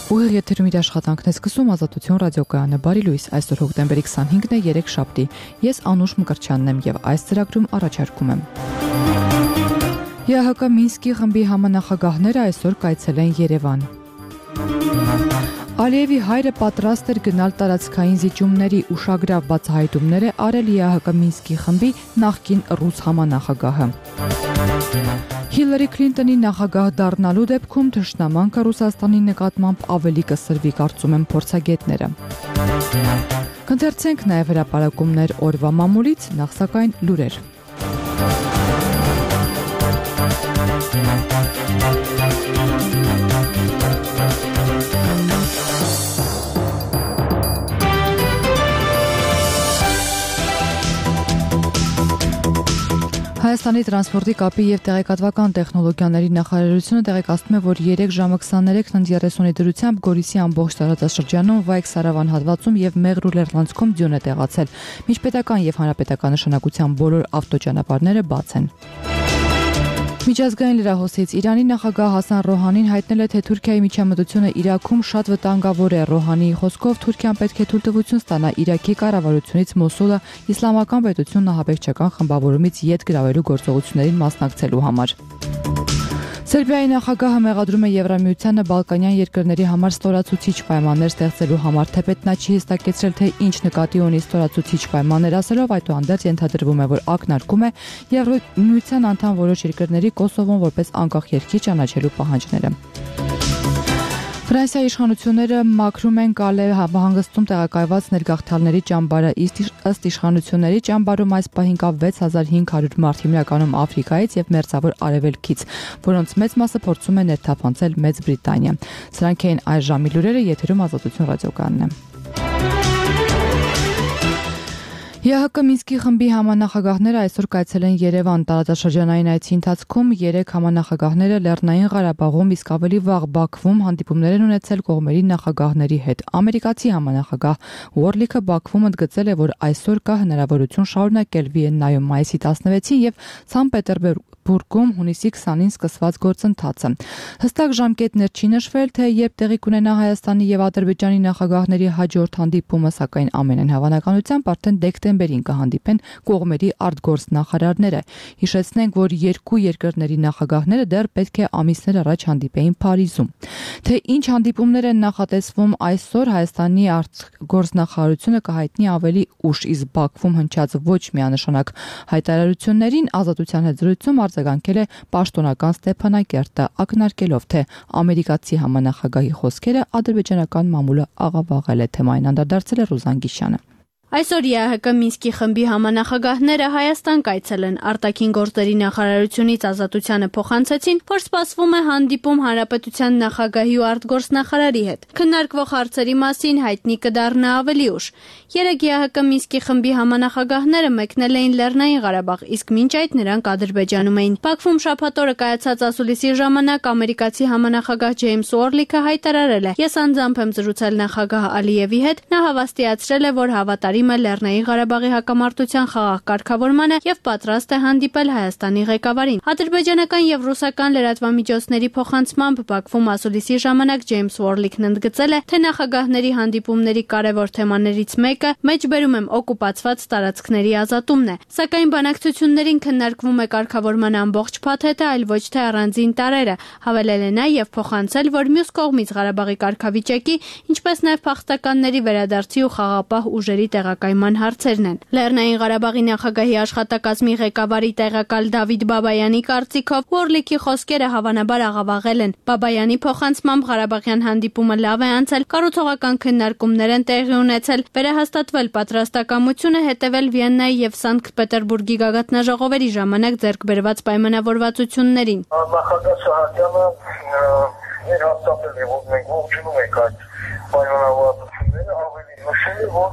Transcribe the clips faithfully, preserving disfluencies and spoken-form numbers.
Ուղիղ եթերում իր աշխատանքն է սկսում Ազատություն ռադիոկայանը բարի լույս, այսօր հոկտեմբերի քսանհինգն է, երեքշաբթի։ Ես Անուշ Մկրտչյանն եմ եւ այս ծրագրում առաջարկում եմ։ ԵԱՀԿ Մինսկի խմբի համանախագահները այսօր կայցել են Երևան։ Ալիևի հայրը պատրաստ էր գնալ տարածքային զիջումների, ուշագրավ բացահայտումներ է արել ԵԱՀԿ Մինսկի խմբի նախկին ռուս համանախագահը։ Հիլարի Քլինտոնի նախագահ դառնալու դեպքում թշնամանքը Ռուսաստանի նկատմամբ ավելի կսրվի, կարծում են փորձագետները։ Կընթերցենք նաև հրապարակումներ օրվա մամուլից, նախ սակայն լուրեր։ Հայաստանի տրանսպորտի կապի և տեղեկատվական տեխնոլոգիաների նախարարությունը տեղեկացնում է, որ երեք ժամը քսաներեքն երեսունի դրությամբ Գորիսի ամբողջ տարածաշրջանում, Վայք-Սարավան հատվածում և Մեղրու լեռնանցքում ձյուն է տեղացել։ Միջպետական և հանրապետական նշանակության բոլոր ավտոճանապարհները բաց են։ Միջազգային լրահոսից Իրանի նախագահ Հասան Ռոհանին հայտնել է, թե Թուրքիայի միջամտությունը Իրաքում շատ վտանգավոր է։ Ռոհանիի խոսքով Թուրքիան պետք է թույլտվություն ստանա Իրաքի կառավարությունից Մոսուլը իսլամական պետությունն ահաբեկչական խմբավորումից ետ գրավելու գործողություններին մասնակցելու համար։ Սերբիայի նախագահը մեղադրում է Եվրամիությանը Բալկանյան երկրների համար ստորացուցիչ պայմաններ ստեղծելու համար, թեպետ նա չի հստակեցրել, թե ինչ նկատի ունի ստորացուցիչ պայմաններ ասելով, այդուհանդերձ ենթադրվում է, որ ակնարկում է Եվրամիության անդամ որոշ երկրների Կոսովոն որպես անկախ երկիր ճանաչելու պահանջները։ Ֆրանսիայի իշխանությունները մաքրում են Կալե հանգստում տեղակայված ներգաղթյալների ճամբարը, ըստ իշխանությունների ճամբարում այս պահին կա վեց հազար հինգ հարյուր մարդ, հիմնականում Աֆրիկայից և Մերձավոր Արևելքից, որոնց մեծ մասը փորձում է ներթափանցել Մեծ Բրիտանիա։ Սրանք էին այս ժամի լուրերը, եթերում Ազատություն ռադիոկայանն է։ ԵԱՀԿ Մինսկի խմբի համանախագահները այսօր կայցել են Երևան։ Տարածաշրջանային այցի ընթացքում երեք համանախագահները Լեռնային Ղարաբաղում, իսկ ավելի վաղ Բաքվում հանդիպումներ են ունեցել կողմերի նախագահների հետ։ Ամերիկացի համանախագահ Ուորլիքը Բաքվում ընդգծել է, որ այսօր կա հնարավորություն շարունակել Վիեննայում մայիսի տասնվեցին և Սանտ Պետերբուրգում հունիսի քսանին սկսված գործընթացը։ Հստակ ժամկետներ չի նշվել, թե երբ տեղի կունենա Հայաստանի և Ադրբեջանի նախագահների հաջորդ հանդիպումը, սակայն ամենայն հավանականությամբ արդեն դեկտեմբերին կհանդիպեն կողմերի արտգործնախարարները։ Հիշեցնենք, որ երկու երկրների նախագահները դեռ պետք է ամիսներ առաջ հանդիպեին Փարիզում։ Թե ինչ հանդիպումներ են նախատեսվում այսօր, Հայաստանի արտգործնախարարությունը կհայտնի ավելի ուշ, իսկ Բաքվում հնչած ոչ միանշանակ հայտարարություններին Ազատության հետ զրույցում արձագանքել է պաշտոնական Ստեփանակերտը, ակնարկելով, թե ամերիկացի համանախագահի խոսքերը ադրբեջանական մամուլը աղավաղել է, թեմային անդրադարձել է Ռուզան Գիշյանը։ Այսօր ԵԱՀԿ Մինսկի խմբի համանախագահները Հայաստան կայցել են, արտաքին գործերի նախարարությունից Ազատությանը փոխանցեցին, որ սպասվում է հանդիպում հանրապետության նախագահի ու արտգործնախարարի հետ։ Քննարկվող հարցերի մասին հայտնի կդառնա ավելի ուշ։ Երեք ԵԱՀԿ Մինսկի խմբի համանախագահները մեկնել էին Լեռնային Ղարաբաղ, իսկ մինչ այդ նրանք Ադրբեջանում էին։ Բաքվում շաբաթ օրը կայացած ասուլիսի ժամանակ ամերիկացի համանախագահ Ջեյմս Ուորլիքը հայտարարել է. «Ես անձամբ եմ զրուցել նախագահ Ալիևի հետ, նա հավաստիացրել է, որ հավատարիմ է Լեռնային Ղարաբաղի հակամարտության խաղաղ կարգավորմանը և պատրաստ է հանդիպել Հայաստանի ղեկավարին»։ Ադրբեջանական և ռուսական լրատվամիջոցների փոխանցմամբ Բաքվում ասուլիսի ժամանակ Ջեյմս Ուորլիքն ընդգծել է, թե նախագահների հանդիպումների կարևոր թեմաներից մեկը մեջբերում եմ օկուպացված տարածքների ազատումն է։ Սակայն բանակցություններին քննարկվում է կարգավորման ամբողջ փաթեթը, այլ ոչ թե առանձին տարրերը, հավելել է նա և փոխանցել, որ մյուս կողմից Ղարաբաղի կարգավիճակի, ինչպես նաև փախստականների վերադարձի ու խաղաղապահ ուժերի տեղակայման հարցերն են։ Լեռնային Ղարաբաղի նախագահի աշխատակազմի ղեկավարի տեղակալ Դավիթ Բաբայանի կարծիքով Ուորլիքի խոսքերը հավանաբար աղավաղել են։ Բաբայանի փոխանցմամբ Ղարաբաղյան հանդիպումը լավ է անցել, կառուցողական քննարկումներ են տեղի ունեցել, վերահաստատվել պատրաստակամությունը հետևել Վիեննայի և Սանկտ Պետերբուրգի գագաթնաժողովերի ժամանակ ձեռք բերված պայմանավորվածություններին։ Նախագահ Սահակյանը վերահաստատել է, որ մենք ողջունում ենք այդ պայմանավորվածությունները, ավելի նշել է, որ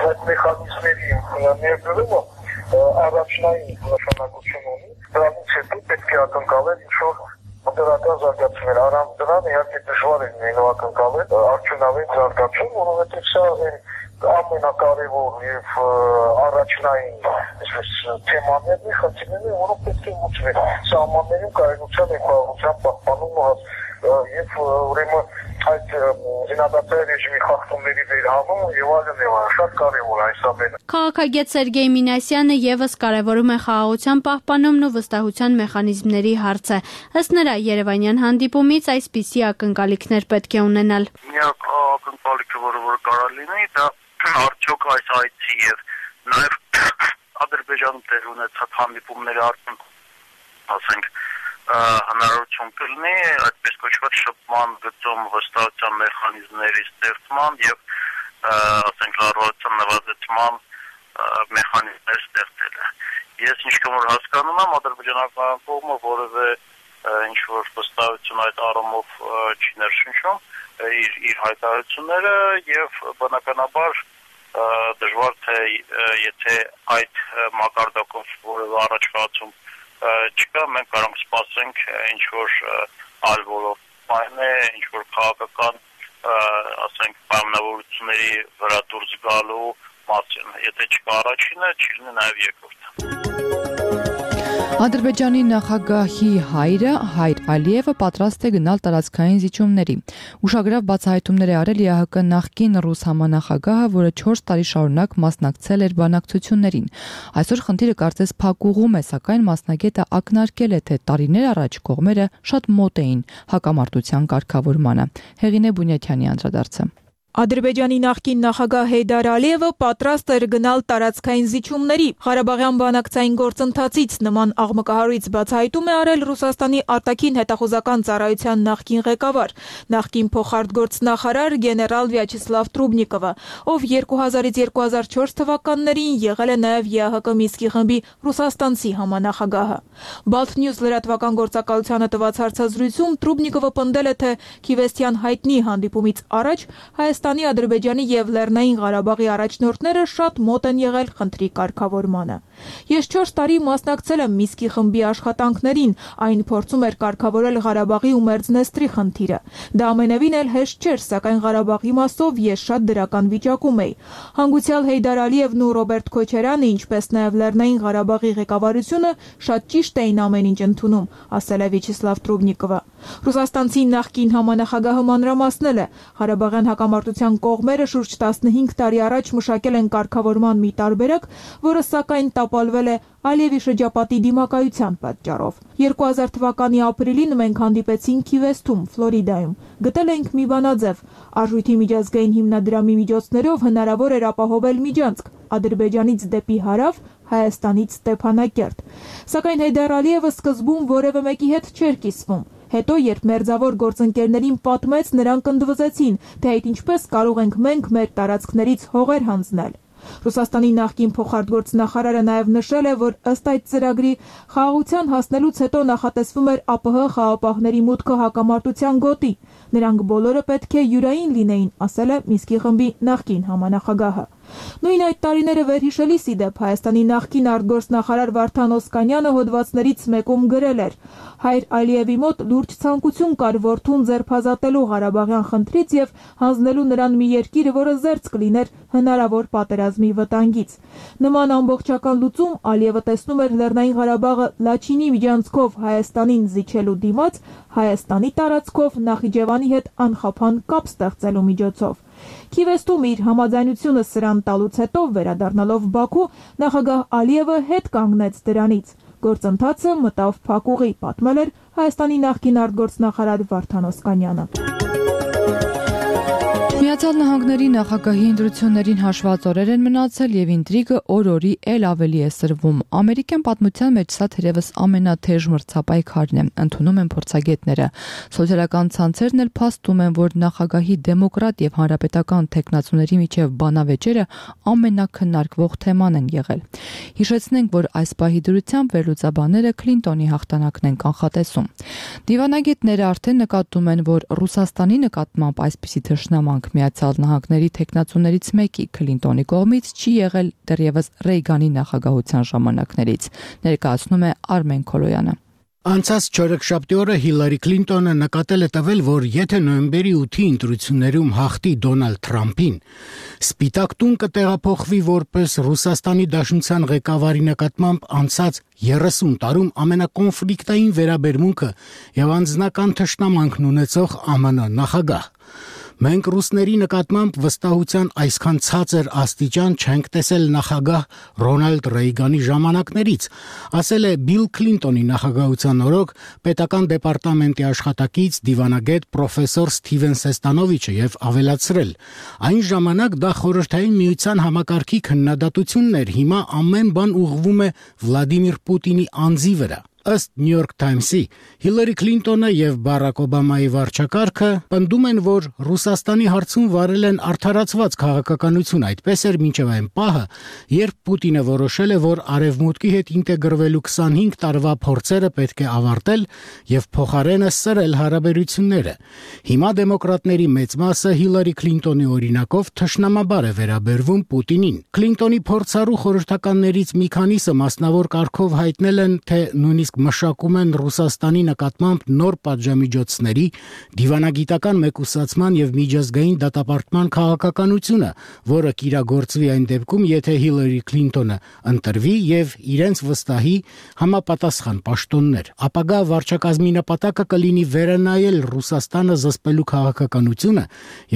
այդ մեխանիզմերի ներդրումը առաջնային նշանակություն ունի, դրանից հետո պետք է ակնկալել ինչ-որ դրական զարգացումներ, առանց դրան իհարկե դժվար է լինելու ակնկալել արդյունավետ զարգացում, որովհետև սա ամենակարևոր եւ առաջնային այսպես թեմաներն է, խնդիրներն են, որոնք պետք է լուծվեն։ Սահմաններում կայունության եւ խաղաղության պահպանումը եւ ուրեմն այդ զինադատարի ռեժիմի խախտումների վերահանում եւ այլն եւ այլն շատ կարեւոր այս ամենը։ Քաղաքագետ Սերգեյ Մինասյանը եւս կարևորում է խաղաղության պահպանումն ու վստահության մեխանիզմների հարցը։ Ըստ նրա, Երևանյան հանդիպումից այսպիսի ակնկալիքներ պետք է ունենալ։ Միակ ակնկալիքը, որը որ կարող լինի, դա արդյոք այս այցի եւ նաեւ Ադրբեջանում տեղ ունեցած հանդիպումների արդյունքում, ասենք, հնարավորություն կլինի այդպես կոչված շփման գծում վստահության մեխանիզմների ստեղծման եւ ասենք լարվածության նվազեցման մեխանիզմներ ստեղծելը։ Ես ինչքան որ հասկանում եմ, ադրբեջանական կողմը որևէ ինչ որ վստահություն այդ առումով չի ներշնչում իր իր հայտարարությունները եւ բնականաբար դժվար թե եթե այդ մակարդակով որևէ առաջխաղացում չկա, մենք կարող ենք սպասենք ինչ որ այլ ոլորտային է, ինչ որ քաղաքական ասենք պայմանավորությունների վրա դուրս գալու մասին։ Եթե չկա առաջինը, չի լինի նաև երկրորդը։ Ադրբեջանի նախագահի հայրը Հայր Ալիևը պատրաստ է գնալ տարածքային զիջումների։ Ուշագրավ բացահայտումներ է արել ԵԱՀԿ նախկին ռուս համանախագահը, որը չորս տարի շարունակ մասնակցել էր բանակցություններին։ Այսօր խնդիրը կարծես փակուղում է, սակայն մասնագետը ակնարկել է, թե տարիներ առաջ կողմերը շատ մոտ էին հակամարտության կարգավորմանը։ Հեղինե Բունյաթյանի անդրադարձը։ Ադրբեջանի նախկին նախագահ Հեյդար Ալիևը պատրաստ էր գնալ տարածքային զիջումների։ Ղարաբաղյան բանակցային գործընթացից նման աղմկահարույց բացահայտում է արել Ռուսաստանի արտաքին հետախուզական ծառայության նախկին ղեկավար, նախկին փոխարտգործնախարար գեներալ Վյաչեսլավ Տրուբնիկովը, ով երկու հազարից երկու հազար չորս թվականներին եղել է նաև ԵԱՀԿ Մինսկի խմբի ռուսաստանցի համանախագահը։ Baltnews լրատվական գործակալությանը տված հարցազրույցում Տրուբնիկովը պնդել է, թե Քիվեստյան հայտնի հանդիպումից առաջ Հայաստանի, Ադրբեջանի եւ Լեռնային Ղարաբաղի առաջնորդները շատ մոտ են եղել խնդրի կարգավորմանը։ Ես չորս տարի մասնակցել եմ Մինսկի խմբի աշխատանքներին, այն փորձում էր կարգավորել Ղարաբաղի ու Մերձնեստրի խնդիրը։ Դա ամենևին էլ հեշտ չէր, սակայն Ղարաբաղի մասով ես շատ դրական վիճակում էի։ Հանգուցյալ Հեյդար Ալիևն ու Ռոբերտ Քոչարյանը, ինչպես նաև Լեռնային Ղարաբաղի ղեկավարությունը շատ ճիշտ էին ամեն ինչ ընդունում, ասել է Վյաչեսլավ Տրուբնիկովը։ Ռուսաստանցի նախկին համանախագահը մանրամասնել է, Ղարաբաղյան հակամարտության կողմերը շուրջ տասնհինգ տարի առաջ մշակել են կարգավորման մի տարբերակ, որը սակայն տապալվել է Ալիևի շրջապատի դիմակայության պատճառով։ երկու հազար թվականի ապրիլին մենք հանդիպեցինք Քիվեստում, Ֆլորիդայում։ Գտել ենք մի բանաձև։ Արժույթի միջազգային հիմնադրամի միջոցներով հնարավոր էր ապահովել միջանցք Ադրբեջանից դեպի հարավ, Հայաստանից Ստեփանակերտ։ Սակայն Հեյդար Ալիևը սկզբում որևէ մեկի հետ չէր կիսվում։ Հետո, երբ մերձավոր գործընկերներին պատմեց, նրանք ընդվզեցին, թե այդ ինչպես կարող ենք մենք մեր տարածքներից հողեր հանձնել։ Ռուսաստանի նախկին փոխարտգործնախարարը նաև նշել է, որ ըստ այդ ծրագրի խաղաղության հասնելուց հետո նախատեսվում էր ԱՊՀ խաղապահների մուտքը հակամարտության գոտի։ Նրանք բոլորը պետք է յուրային լինեին, ասել է Մինսկի խմբի նախկին համանախագահը։ Նույն այդ տարիները վերհիշելիս ի դեպ Հայաստանի նախկին արտգործնախարար Վարդան Օսկանյանը հոդվածներից մեկում գրել էր. Հայր Ալիևի մոտ լուրջ ցանկություն կար որդուն ձերբազատելու Ղարաբաղյան խնդրից եւ հանձնելու նրան մի երկիր, որը զերծ կլիներ հնարավոր պատերազմի վտանգից։ Նման ամբողջական լուծում Ալիևը տեսնում էր Լեռնային Ղարաբաղը Լաչինի միջանցքով Հայաստանին զիջելու դիմաց, Հայաստանի տարածքով Նախիջևանի հետ անխափան կապ ստեղծելու միջոցով։ Քիվեստում իր համաձայնությունը սրան տալուց հետո վերադառնալով Բաքու, նախագահ Ալիևը հետ կանգնեց դրանից։ Գործընթացը մտավ փակուղի, պատմել էր Հայաստանի նախկին արտգործնախարար Վարդան Օսկանյանը։ Միացյալ Նահանգների նախագահի ընտրություններին հաշված օրեր են մնացել եւ ինտրիգը օր-օրի էլ ավելի է սրվում։ Ամերիկյան պատմության մեջ սա թերևս ամենաթեժ մրցապայքարն է, ընդունում են փորձագետները։ Սոցիալական ցանցերն էլ փաստում են, որ նախագահի դեմոկրատ եւ հանրապետական թեկնածուների միջև բանավեճերը ամենակննարկվող թեման են եղել։ Հիշեցնենք, որ այս պահի դրությամբ վերլուծաբանները Քլինտոնի հաղթանակն են կանխատեսում։ Դիվանագետները արդեն նկատում են, որ Ռուսաստանի նկատմամբ այսպիսի թշնամանք Միացյալ Նահանգների թեկնածուներից մեկի Քլինտոնի կողմից չի եղել դեռևս Ռեյգանի նախագահության ժամանակներից, ներկայացնում է Արմեն Քոլոյանը։ Անցած չորեքշաբթի օրը Հիլարի Քլինտոնը նկատել է տվել, որ եթե նոյեմբերի ութի ընտրություններում հաղթի Դոնալդ Թրամփին, Սպիտակ տուն կտեղափոխվի որպես Ռուսաստանի Դաշնության ղեկավարի նկատմամբ անցած երեսուն տարում ամենակոնֆլիկտային վերաբերմունքը եւ անձնական թշնամանքն ունեցող ԱՄՆ նախագահ։ Մենք ռուսների նկատմամբ վստահության այսքան ցածր աստիճան չենք տեսել նախագահ Ռոնալդ Ռեյգանի ժամանակներից, ասել է Բիլ Քլինտոնի նախագահության օրոք պետական դեպարտամենտի աշխատակից դիվանագետ պրոֆեսոր Սթիվեն Սեստանովիչը եւ ավելացրել. այն ժամանակ դա խորհրդային միության համակարգի քննադատությունն էր, հիմա ամեն բան ուղղվում է Վլադիմիր Պուտինի անձի վրա։ Ըստ New York Times-ի, Հիլարի Քլինտոնը եւ Բարակ Օբամայի վարչակարգը պնդում են, որ Ռուսաստանի հարցում վարել են արդարացված քաղաքականություն, այդպես էր մինչև այն պահը, երբ Պուտինը որոշել է, որ Արևմուտքի հետ ինտեգրվելու քսանհինգ տարվա փորձերը պետք է ավարտել եւ փոխարենը սրել հարաբերությունները։ Հիմա դեմոկրատների մեծ մասը Հիլարի Քլինտոնի օրինակով թշնամաբար է վերաբերվում Պուտինին։ Քլինտոնի փորձառու խորհրդականներից մի քանիսը մասնավոր կարգով հայտնել են, թե նույնիսկ մշակում են Ռուսաստանի նկատմամբ նոր պատժամիջոցների, դիվանագիտական մեկուսացման եւ միջազգային դատապարտման քաղաքականությունը, որը կիրագործվի այն դեպքում, եթե Հիլարի Քլինտոնը ընտրվի եւ իրենց վստահի համապատասխան պաշտոններ։ Ապագա վարչակազմի նպատակը կլինի վերանայել Ռուսաստանը զսպելու քաղաքականությունը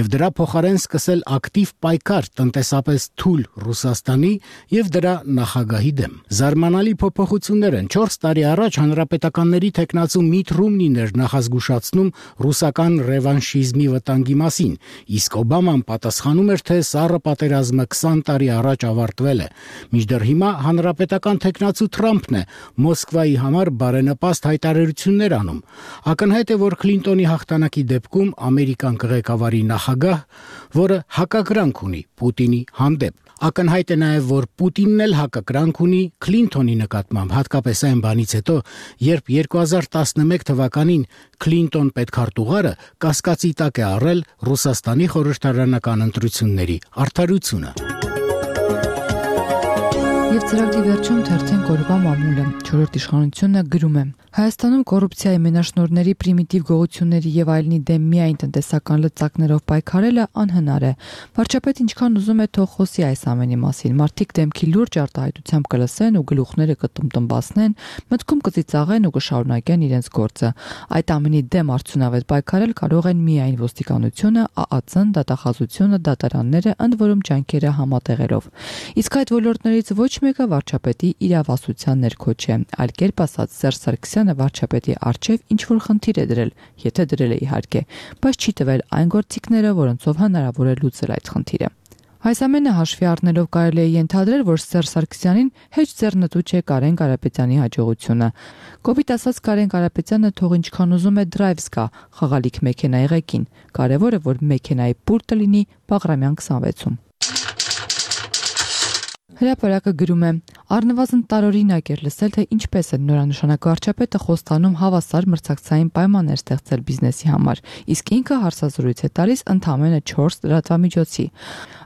եւ դրա փոխարեն սկսել ակտիվ պայքար տնտեսապես թույլ Ռուսաստանի եւ դրա նախագահի դեմ։ Զարմանալի փոփոխություններ են չորս տարի առաջ հանրապետականների տեխնացու Միթ Ռոմնին էր նախազգուշացնում ռուսական ռևանշիզմի վտանգի մասին, իսկ Օբաման պատասխանում էր, թե սառը պատերազմը քսան տարի առաջ ավարտվել է։ Մինչդեռ հիմա հանրապետական տեխնացու Թրամփն է Մոսկվայի համար բարենպաստ հայտարարություններ անում։ Ակնհայտ է, որ Քլինտոնի հաղթանակի դեպքում Ամերիկան կղեկավարի նախագահ, որը հակակրանք ունի Պուտինի հանդեպ։ Ակնհայտ է նաև, որ Պուտինն էլ հակակրանք ունի Քլինտոնի նկատմամբ, հատկապես այն բանից հետո, երբ երկու հազար տասնմեկ թվականին Քլինտոն պետքարտուղարը կասկածի տակ է առել Ռուսաստանի խորհրդարանական ընտրությունների արդարությունը։ Եվ ծրագրի վերջում թերթեն կորվա մամուլը, չորրորդ իշխանությունը գրում է. Հայաստանում կոռուպցիայի մենաշնորհների պրիմիտիվ գողությունների եւ այլնի դեմ միայն տնտեսական լծակներով պայքարելը անհնար է։ Վարչապետը ինչքան ուզում է թող խոսի այս ամենի մասին, մարդիկ դեմքի լուրջ արտահայտությամբ կլսեն ու գլուխները կտմտմբացնեն, մտքում կծիծաղեն ու կշարունակեն իրենց գործը։ Այդ ամենի դեմ արդյունավետ պայքարել կարող են միայն ոստիկանությունը, ԱԱՑ-ն, դատախազությունը, դատարանները, ընդ որում ջանքերը համատեղելով։ Իսկ այդ ոլորտներից ոչ մեկը վարչապետի իրավասության ներքո չէ, այլ կերպ ասած Սերժ Սարգսյանը վարչապետի առջև ինչ-որ խնդիր է դրել, եթե դրել է իհարկե, բայց չի տվել այն գործիքները, որոնցով հնարավոր է լուծել այդ խնդիրը։ Այս ամենը հաշվի առնելով կարելի է ենթադրել, որ Սերժ Սարգսյանին հեչ ձեռնտու չէ Կարեն Կարապետյանի հաջողությունը։ Կոպիտ ասած Կարեն Կարապետյանը թող ինչքան ուզում է դրայվ զգա խաղալիք մեքենայի ղեկին, կարևորը որ մեքենայի պուլտը լինի Բաղրամյան քսանվեցում։ Հրապարակը գրում է. Առնվազն տարօրինակ էր լսել, թե ինչպես է նորանշանակ վարչապետը խոստանում հավասար մրցակցային պայմաններ ստեղծել բիզնեսի համար, իսկ ինքը հարցազրույց է տալիս ընդամենը չորս լրատվամիջոցի։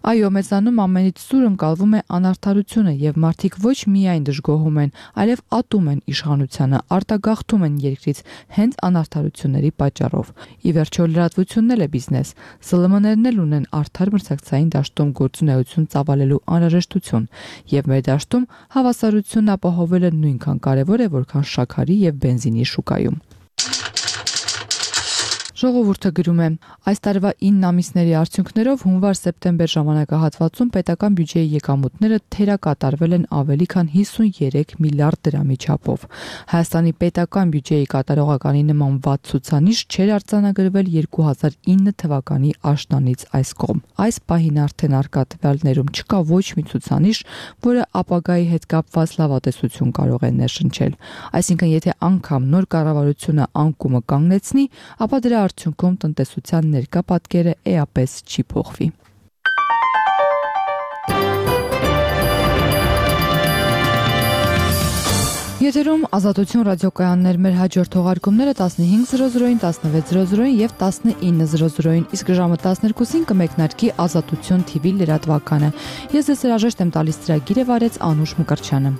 Այո, մեզանում ամենից սուր ընկալվում է անարդարությունը եւ մարդիկ ոչ միայն դժգոհում են, այլև ատում են իշխանությանը, արտագաղթում են երկրից հենց անարդարությունների պատճառով։ Ի վերջո լրատվությունն էլ է բիզնես։ Զ Լ Մ-ներն էլ ունեն արդար մրցակցային դաշտում գործունեություն ծավալելու անհրաժեշտություն, եւ մեր դաշտում հավասարությունն ապահովելը նույնքան կարեւոր է, որքան շաքարի եւ բենզինի շուկայում։ Ժողովուրդը գրում է. այս տարվա ինը ամիսների արդյունքներով հունվար-սեպտեմբեր ժամանակահատվածում պետական բյուջեի եկամուտները թերակատարվել են ավելի քան հիսունյերեք միլիարդ դրամի չափով։ Հայաստանի պետական բյուջեի կատարողականի նման վատ ցուցանիշ չէր արձանագրվել երկու հազար ինը թվականի աշնանից այս կողմ։ Այս պահին արդեն արկա տվյալներում չկա ոչ մի ցուցանիշ, որը ապագայի հետ կապված լավատեսություն կարող է ներշնչել։ Այսինքն, եթե անգամ նոր կառավարությունը անկումը կանգնեցնի, ապա դրա արդյունքում տնտեսության ներկա պատկերը էապես չի փոխվի։ Եթերում Ազատություն ռադիոկայաններ, մեր հաջորդ թողարկումները տասնհինգ զրո զրոին, տասնվեց զրո զրոին եւ տասնինը զրո զրոին, իսկ ժամը տասներկուսին կմեկնարկի Ազատություն թի վի լրատվականը։ Ես ձեզ հրաժեշտ եմ տալիս ծրագիրը վարեց Անուշ Մկրտչյանը։